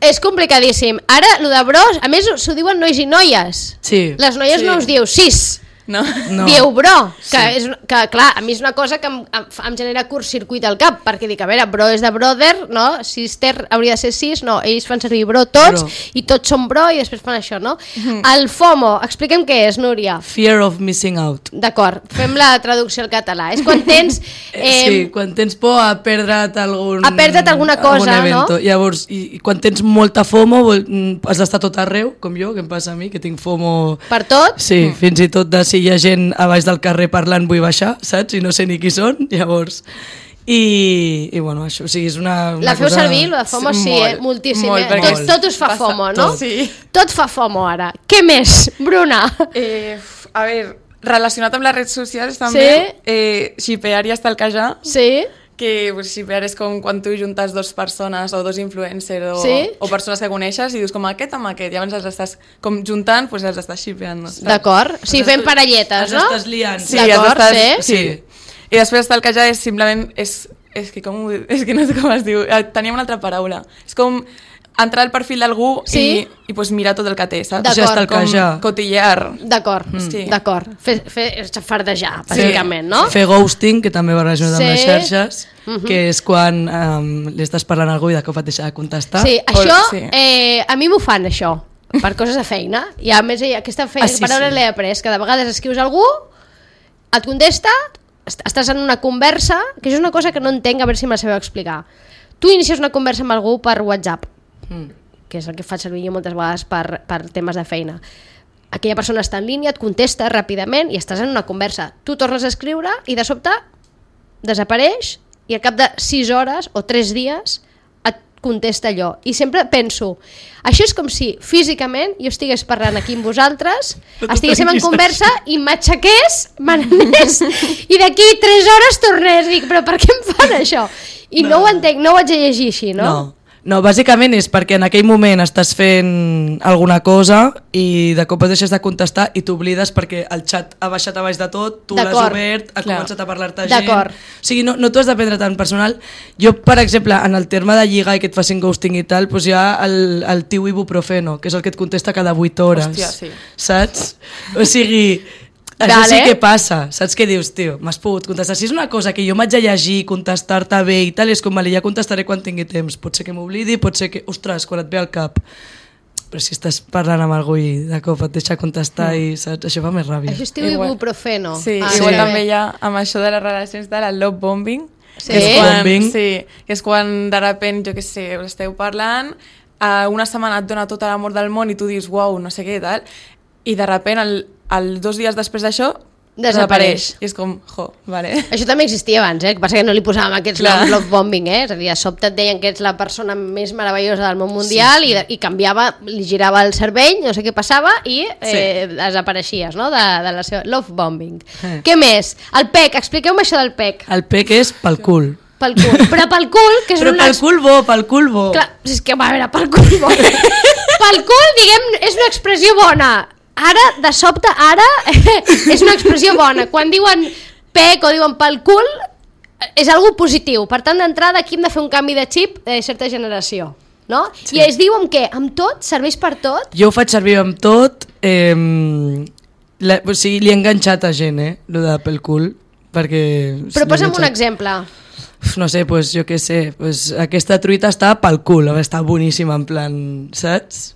És complicadíssim. Ara, lo de bros, a més s'ho diuen nois i noies. Sí. Les noies sí. no us diu sis. No. no. Dieu bro, que, sí. és, que clar, a mi és una cosa que em, em genera curtcircuit al cap, perquè dic, a veure, bro és de brother, no? Sister hauria de ser sis, no, ells fan servir bro tots, bro. I tots són bro i després fan això, no? Mm-hmm. El FOMO, expliquem què és, Núria. Fear of missing out. D'acord, fem la traducció al català. És quan tens... Eh, sí, quan tens por a perdre't algun... A perdre't alguna cosa, no? Llavors, i, i quan tens molta FOMO, has d'estar tot arreu, com jo, que em passa a mi, que tinc FOMO... Per tot? Sí, mm. fins i tot de si hi ha gent a baix del carrer parlant vull baixar, saps? I no sé ni qui són, llavors... I, i bueno, això, o sigui, és una, una la feu cosa... servir, la FOMO sí, sí eh? Moltíssim, molt, eh? Tot, tot us fa Passa, FOMO, no? Tot. Sí. Tot fa FOMO ara. Què més, Bruna? Eh, a veure, relacionat amb les redes socials també, sí? eh, xipear i estalquejar. Sí? Que pues, xipear és com quan tu juntes dues persones o dos influencers o, sí? o persones que coneixes i dius com aquest amb aquest i llavors els estàs com juntant, pues els estàs xipeant. No? D'acord, sí, fent parelletes, no? Els estàs liant. Sí, d'acord, estàs, sí. sí. I després estalquejar és simplement... És, és, que com, és que no sé com es diu, teníem una altra paraula. És com entrar al perfil d'algú sí? i, i pues, mirar tot el que té, saps? D'acord. Com cotillear. D'acord, mm. sí. d'acord. Fer, fer fardejar, bàsicament, sí. no? Fer ghosting, que també va relacionat sí. amb les xarxes, uh-huh. que és quan um, li estàs parlant a algú i de cop et deixa de contestar. Sí, o, això, sí. Eh, a mi m'ho fan, això, per coses de feina. I a més, aquesta feina, ah, sí, paraula sí. l'he après, que de vegades escrius a algú, et contesta, estàs en una conversa, que això és una cosa que no entenc, a veure si me la sabeu explicar. Tu inicies una conversa amb algú per WhatsApp, mm. que és el que faig servir jo moltes vegades per, per temes de feina. Aquella persona està en línia, et contesta ràpidament i estàs en una conversa. Tu tornes a escriure i de sobte desapareix i al cap de sis hores o tres dies et contesta allò. I sempre penso, això és com si físicament jo estigués parlant aquí amb vosaltres, estiguéssim en conversa i m'aixequés, me n'anés i d'aquí tres hores tornés. Dic, però per què em fan això? I no, no ho entenc, no ho haig de llegir així, no? No. No, bàsicament és perquè en aquell moment estàs fent alguna cosa i de cop et deixes de contestar i t'oblides perquè el xat ha baixat a baix de tot, tu l'has obert, ha Clar. començat a parlar-te gent... O sigui, no, no t'ho has de prendre tan personal. Jo, per exemple, en el terme de lligar i que et facin ghosting i tal, doncs hi ha el, el tio ibuprofeno, que és el que et contesta cada vuit hores. Hòstia, sí. Saps? O sigui... Això vale. Sí que passa, saps què dius, tio? M'has pogut contestar. Si és una cosa que jo m'haig de llegir, contestar-te bé i tal, és com, vale, ja contestaré quan tingui temps. Pot ser que m'oblidi, pot ser que... Ostres, quan et ve al cap. Però si estàs parlant amb algú i de cop et deixa contestar mm. i saps? Això fa més ràbia. Això es diu ibuprofeno. Sí, ah, igual sí. també hi ha amb això de les relacions de la love bombing. Sí? Que és quan, sí, que és quan de repent, jo què sé, us esteu parlant, uh, una setmana et dona tot l'amor del món i tu dius, uau, no sé què i tal, i de repent el el dos dies després d'això desapareix. I és com, jo, vale. Això també existia abans, eh? El que passa que no li posàvem aquests noms love bombing, eh? És a dir, de sobte et deien que ets la persona més meravellosa del món mundial sí, sí. I, i canviava, li girava el cervell, no sé què passava i eh, sí. desapareixies, no? De, de la seva love bombing. Eh. Què més? El P E C, expliqueu-me això del P E C. El P E C és pel cul. Pel cul, però pel cul, que és però una... pel cul bo, pel cul bo. Clar, és que, va, a veure, pel cul bo. Pel cul, diguem, és una expressió bona. Ara, de sobte, ara, és una expressió bona. Quan diuen pec o diuen pel cul, és algo positiu. Per tant, d'entrada, aquí hem de fer un canvi de xip de certa generació. No? Sí. I es diu amb què? Amb tot? Serveix per tot? Jo ho faig servir amb tot. Eh, la, o sigui, li he enganxat a gent, eh? Lo de pel cul. Perquè... Però posa'm un exemple. No sé, pues, jo què sé. Pues, aquesta truita està pel cul. Està boníssima, en plan, saps?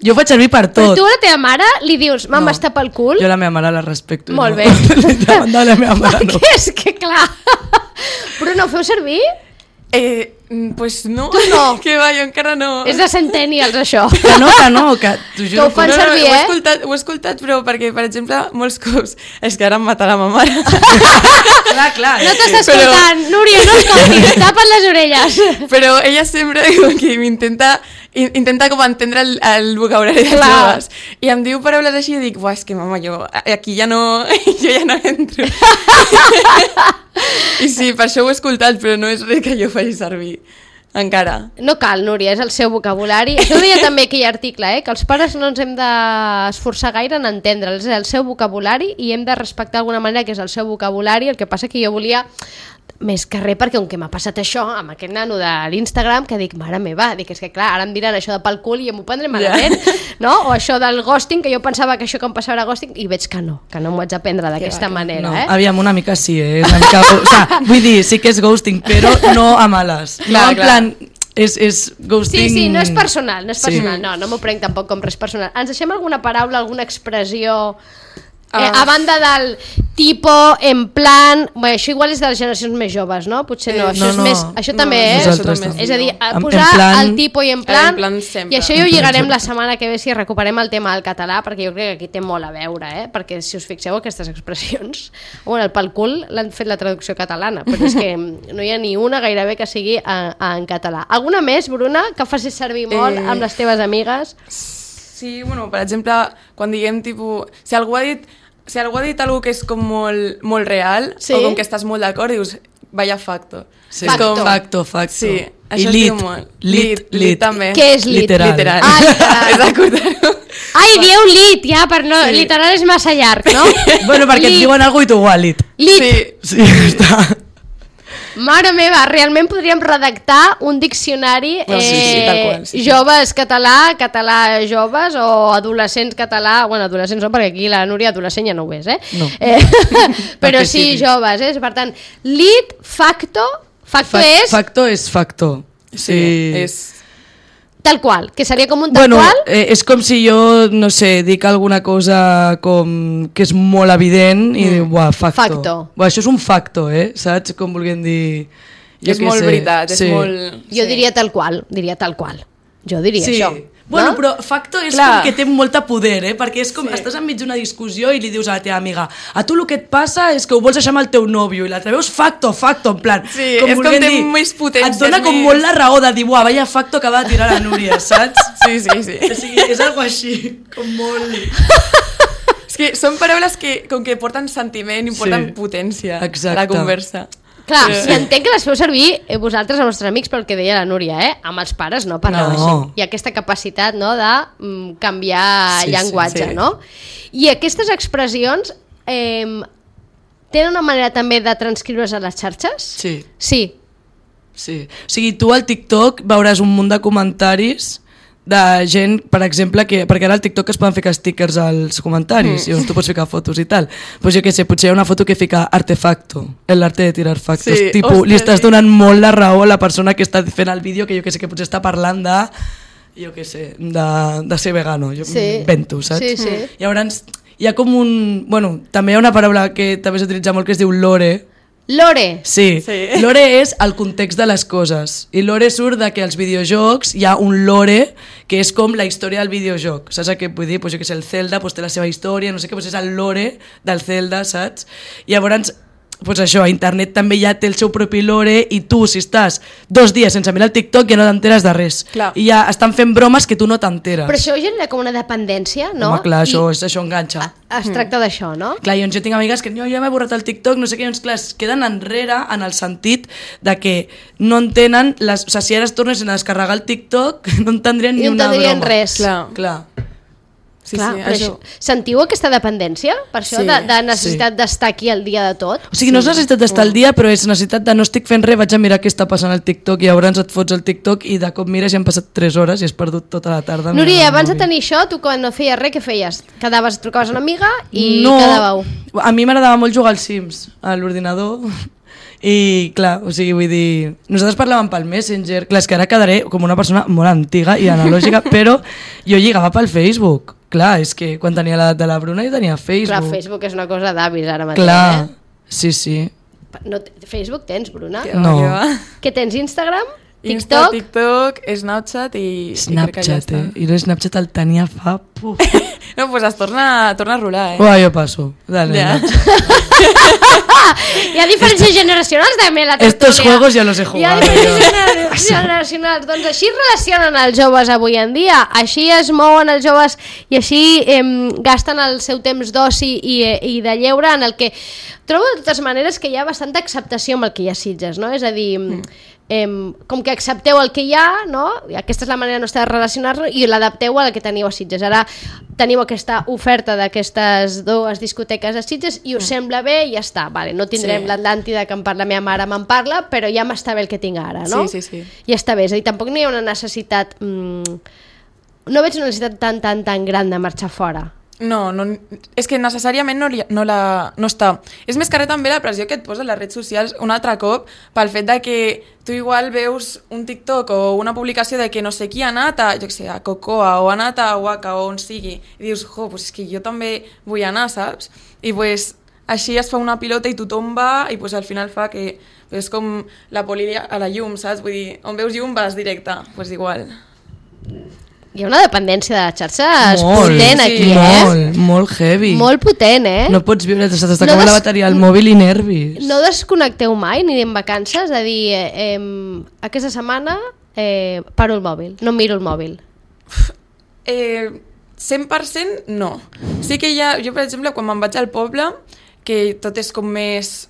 Jo ho faig servir per tot. Però tu a la teva mare li dius, mama, no, està pel cul? Jo la meva mare la respecto. Molt no. bé. Davant de la meva mare no. És que clar. Però no ho feu servir? Eh, pues no. Tu no. Que va, jo encara no. És de centennials, això. Que no, que no, que t'ho juro. Que ho fan no, no, servir, no, eh? Ho he, escoltat, ho he escoltat, però perquè, per exemple, molts cops... És que ara em matarà ma mare. Clar, clar. No t'estàs però... escoltant, Núria, no escoltis, tapa't les orelles. Però ella sempre que m'intenta intenta com entendre el, el vocabulari dels joves. I em diu paraules així i dic, buah, és que mama, jo aquí ja no, jo ja no entro. I sí, per això ho he escoltat, però no és res que jo faci servir. Encara. No cal, Núria, és el seu vocabulari. Això ho deia també aquell article, eh? Que els pares no ens hem d'esforçar gaire en entendre'ls. És el seu vocabulari i hem de respectar d'alguna manera que és el seu vocabulari. El que passa que jo volia més que res perquè, com que m'ha passat això amb aquest nano de l'Instagram, que dic, mare meva, dic, és que clar, ara em diran això de pel cul i m'ho prendré malament, yeah. no? O això del ghosting, que jo pensava que això que em passava era ghosting, i veig que no, que no m'ho haig d'aprendre d'aquesta manera, no, eh? Aviam, una mica sí, eh? Una mica, o sea, vull dir, sí que és ghosting, però no a males. Clar, no en clar. plan... És, és ghosting... Sí, sí, no és personal, no és personal, sí. no, no m'ho prenc tampoc com res personal. Ens deixem alguna paraula, alguna expressió... Eh, a banda del tipo, en plan... Bé, això igual és de les generacions més joves, no? Potser no, això no, és no, més... Això no, també, eh? Nosaltres és, també. és a dir, a En- posar en plan- el tipo i en plan... En plan sempre. I això ja ho lligarem la setmana que ve si recuperem el tema del català, perquè jo crec que aquí té molt a veure, eh? Perquè si us fixeu aquestes expressions... Bueno, el pel cul l'han fet la traducció catalana, però és que no hi ha ni una gairebé que sigui en, en català. Alguna més, Bruna, que facis servir molt Eh... amb les teves amigues? Sí, bueno, per exemple, quan diguem, tipus, si algú ha dit... Si algú ha dit alguna que és com molt, molt real, Sí. o com que estàs molt d'acord, dius, vaya facto. Sí. Facto. Com... Facto, facto. Sí, I això es lit, diu molt. lit, Lit, lit. lit també. Què és lit? Literal. Literal. Ah, literal. És d'acord-ho. Ai, dieu lit, ja, per no... Sí. Literal és massa llarg, no? Bueno, perquè Lit. et diuen alguna cosa i tu igual, lit. Lit. Sí. Sí, està. Mare meva, realment podríem redactar un diccionari Bueno, sí, sí, eh, tal qual, sí, sí. joves català, català joves o adolescents català, bueno, adolescents no, perquè aquí la Núria adolescent ja no ho és, eh? No. eh però Perquè sí, siguis. joves, eh? Per tant, lit, facto, facto Fa- és Facto és facto. Sí, Sí, és... tal qual, que seria com un tal Bueno, qual. eh, és com si jo, no sé, dic alguna cosa com que és molt evident i diu, buah, facto. Facto. Buah, això és un facto, eh? Saps? Com vulguem dir... Jo és què molt sé. veritat, és Sí. molt... Jo sí. diria tal qual, diria tal qual. Jo diria Sí. això. Bueno, no? però facto és Clar. com que té molta poder, eh? Perquè és com, sí. estàs enmig d'una discussió i li dius a la teva amiga, a tu el que et passa és que ho vols deixar amb el teu nòvio, i l'altre veus facto, facto, en plan... Sí, és com vulguem té dir, més potència, et dona és com més- molt la raó de dir, buah, vaya facto que va de tirar la Núria, saps? Sí, sí, sí. O sigui, és algo així, com molt... És que són paraules que, com que porten sentiment i porten Sí. potència Exacte. a la conversa. Clar, Sí. i entenc que les feu servir eh, vosaltres, els vostres amics, pel que deia la Núria, eh? Amb els pares no parleu No. així. Hi ha aquesta capacitat, no?, de mm, canviar Sí, sí, llenguatge, sí. no? I aquestes expressions eh, tenen una manera també de transcriure's a les xarxes? Sí, Sí. sí. O sigui, tu al TikTok veuràs un munt de comentaris de gent, per exemple, que, perquè ara al TikTok es poden ficar stickers als comentaris, mm. i llavors tu pots ficar fotos i tal. Pues jo què sé, potser hi ha una foto que fica artefacto, el arte de tirar factos. Sí, Tipo, ostres, li estàs sí. donant molt la raó a la persona que està fent el vídeo, que jo què sé, que potser està parlant de, jo què sé, de, de ser vegano. Jo Sí. invento, saps? Sí, sí. Llavors, hi ha com un... Bueno, també hi ha una paraula que també s'utilitza molt que es diu lore. Lore. Sí. Sí. Lore és el context de les coses. I lore surt de que als videojocs hi ha un lore que és com la història del videojoc. Saps què vull dir? Pues jo que sé, el Zelda pues té la seva història, no sé què, pues és el lore del Zelda, saps? I llavors, pues això, a internet també ja té el seu propi lore i tu, si estàs dos dies sense mirar el TikTok, ja no t'enteres de res. Clar. I ja estan fent bromes que tu no t'enteres. Però això genera com una dependència, no? Home, clar, això, I és, això enganxa. es tracta d'això, no? Clar, llavors jo tinc amigues que jo ja m'he borrat el TikTok, no sé què, llavors clar, es queden enrere en el sentit de que no entenen, les, o sigui, si ara es tornessin a descarregar el TikTok, no entendrien I ni no una entendrien broma. res. Clar. Clar. Sí, Clar, sí, però això... això... Sentiu aquesta dependència? Per això, Sí, de, de necessitat sí. d'estar aquí al dia de tot? O sigui, no és necessitat d'estar al dia, però és necessitat de no estic fent res, vaig a mirar què està passant al TikTok i llavors et fots al TikTok i de cop mires i han passat tres hores i has perdut tota la tarda. mirant Núria, el abans de mòbil. tenir això, tu quan no feies res, què feies? Quedaves, trucaves a una amiga i no, quedàveu. a mi m'agradava molt jugar als Sims, a l'ordinador, i clar, o sigui, vull dir, nosaltres parlàvem pel Messenger, clar, és que ara quedaré com una persona molt antiga i analògica, però jo lligava pel Facebook, clar, és que quan tenia l'edat de la Bruna jo tenia Facebook. Clar, Facebook és una cosa d'avis ara mateix, Clar, eh? sí, sí. No, Facebook tens, Bruna? Que va, No. que va. Què tens, Instagram? Insta, TikTok? TikTok, Snapchat i... i crec que ja Snapchat, està. eh? I el Snapchat el tenia fa Puf. No, pues es torna, torna a rolar, eh? Uah, jo passo. Dale, Ja. Nacho. Hi ha diferències generacionals també la tertúlia. Estos juegos ya los he Hi ha jugado. diferències generacionals. Doncs així es relacionen els joves avui en dia, així es mouen els joves i així eh, gasten el seu temps d'oci i, i de lleure, en el que trobo de totes maneres que hi ha bastanta acceptació amb el que hi ha a Sitges, no? És a dir, mm. eh, com que accepteu el que hi ha, no? I aquesta és la manera nostra de relacionar-nos i l'adapteu al que teniu a Sitges. Ara teniu aquesta oferta d'aquestes dues discoteques a Sitges i us mm. sembla bé i ja està. Vale, no tindrem sí. l'Atlàntida que en parla la meva mare me'n parla, però ja m'està bé el que tinc ara, no? Sí, sí, sí. Ja està bé, és a dir, tampoc n'hi ha una necessitat... Mm, no veig una necessitat tan, tan, tan gran de marxar fora. No, no, és que necessàriament no, no, la, no està. És més que res també la pressió que et posa les redes socials un altre cop pel fet de que tu igual veus un TikTok o una publicació de que no sé qui ha anat a, jo què sé, a Cocoa o ha anat a Waka o on sigui i dius, jo, pues és que jo també vull anar, saps? I pues així es fa una pilota i tothom va i pues al final fa que és com la poli a la llum, saps? Vull dir, on veus llum vas directe, pues igual. Hi ha una dependència de les xarxes molt, potent sí, aquí, eh? Molt, molt heavy. Molt potent, eh? No pots viure, se t'està No acabant des- la bateria al mòbil i nervis. No desconnecteu mai, ni en vacances, a dir, eh, eh, aquesta setmana eh, paro el mòbil, no miro el mòbil. Eh, cent per cent no. Sí que hi ha, jo per exemple, quan me'n vaig al poble, que tot és com més,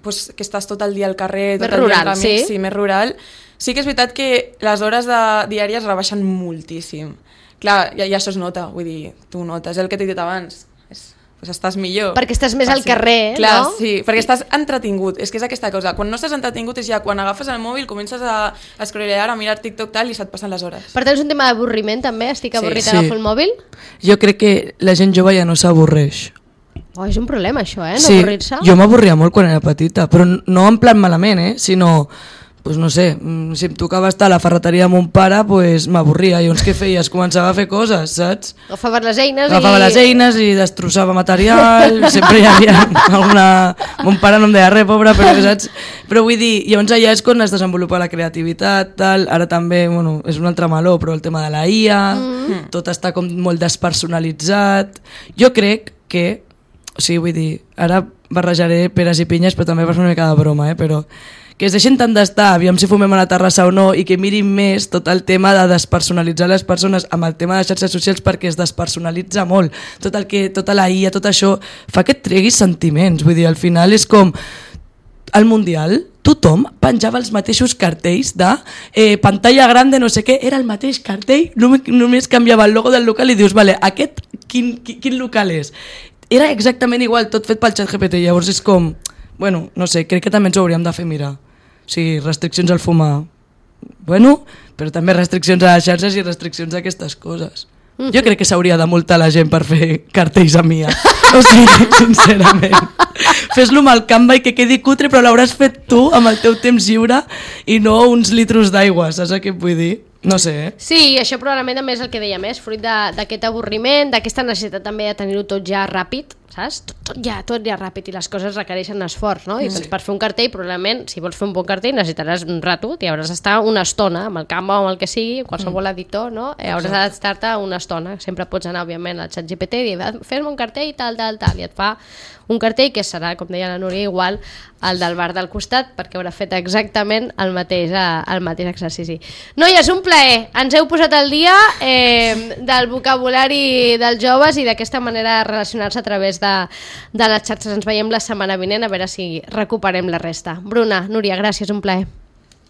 pues, que estàs tot el dia al carrer, tot Més el dia rural, amb amics, sí? sí, més rural, sí que és veritat que les hores de, diàries rebaixen moltíssim. Clar, i, i això es nota, vull dir, tu notes, és el que t'he dit abans, és, pues estàs millor. Perquè estàs més al Fàcil. carrer, Clar, no? sí, perquè estàs entretingut, és que és aquesta cosa. Quan no estàs entretingut és ja quan agafes el mòbil, comences a escrolear, a mirar TikTok tal i se't passen les hores. Per tant, és un tema d'avorriment també, estic Sí. avorrit, Sí. agafo el mòbil. Jo crec que la gent jove ja no s'avorreix. Oh, és un problema això, eh, no Sí, avorrir-se. jo m'avorria molt quan era petita, però no en plan malament, eh? Sinó, pues no sé, mm, si em tocava estar a la ferreteria amb un pare, pues m'avorria. I llavors què feies? Començava a fer coses, saps? Agafaves les eines Agafava i... les eines i destrossava material, sempre hi havia alguna... Mon pare no em deia res, pobre, però saps? Però vull dir, llavors allà és quan es desenvolupa la creativitat, tal. Ara també, bueno, és un altre meló, però el tema de la I A, mm. tot està com molt despersonalitzat. Jo crec que, o sigui, vull dir, ara barrejaré peres i pinyes, però també va ser una mica de broma, eh? Però que es deixin tant d'estar, aviam si fumem a la terrassa o no, i que mirin més tot el tema de despersonalitzar les persones amb el tema de les xarxes socials, perquè es despersonalitza molt. Tot el que, tota la I A, tot això, fa que et treguis sentiments. Vull dir, al final és com al Mundial, tothom penjava els mateixos cartells de eh, pantalla grande, no sé què, era el mateix cartell, només, només canviava el logo del local i dius, vale, aquest quin, quin, quin local és? Era exactament igual, tot fet pel ChatGPT, llavors és com, bueno, no sé, crec que també ens ho hauríem de fer mirar. O sigui, restriccions al fumar, bueno, però també restriccions a les xarxes i restriccions a aquestes coses. Mm-hmm. Jo crec que s'hauria de multar la gent per fer cartells a mi. O sigui, sincerament. Fes-lo amb el Canva i que quedi cutre, però l'hauràs fet tu amb el teu temps lliure i no uns litros d'aigua, saps què et vull dir? No sé, eh? Sí, això probablement també és el que deia més, fruit de- d'aquest avorriment, d'aquesta necessitat també de tenir-ho tot ja ràpid, saps? Tot, tot ja, tot ja ràpid i les coses requereixen esforç, no? I Sí. doncs per fer un cartell, probablement, si vols fer un bon cartell necessitaràs un rato, i hauràs d'estar una estona amb el Canva o amb el que sigui, qualsevol editor, no? Eh, hauràs d'estar-te una estona. Sempre pots anar, òbviament, al ChatGPT i dir, fes-me un cartell tal, tal, tal, i et fa un cartell que serà, com deia la Núria, igual al del bar del costat, perquè haurà fet exactament el mateix, eh, el mateix exercici. Noies, un plaer. Ens heu posat al dia eh, del vocabulari dels joves i d'aquesta manera de relacionar-se a través de, de les xarxes. Ens veiem la setmana vinent a veure si recuperem la resta. Bruna, Núria, gràcies, un plaer.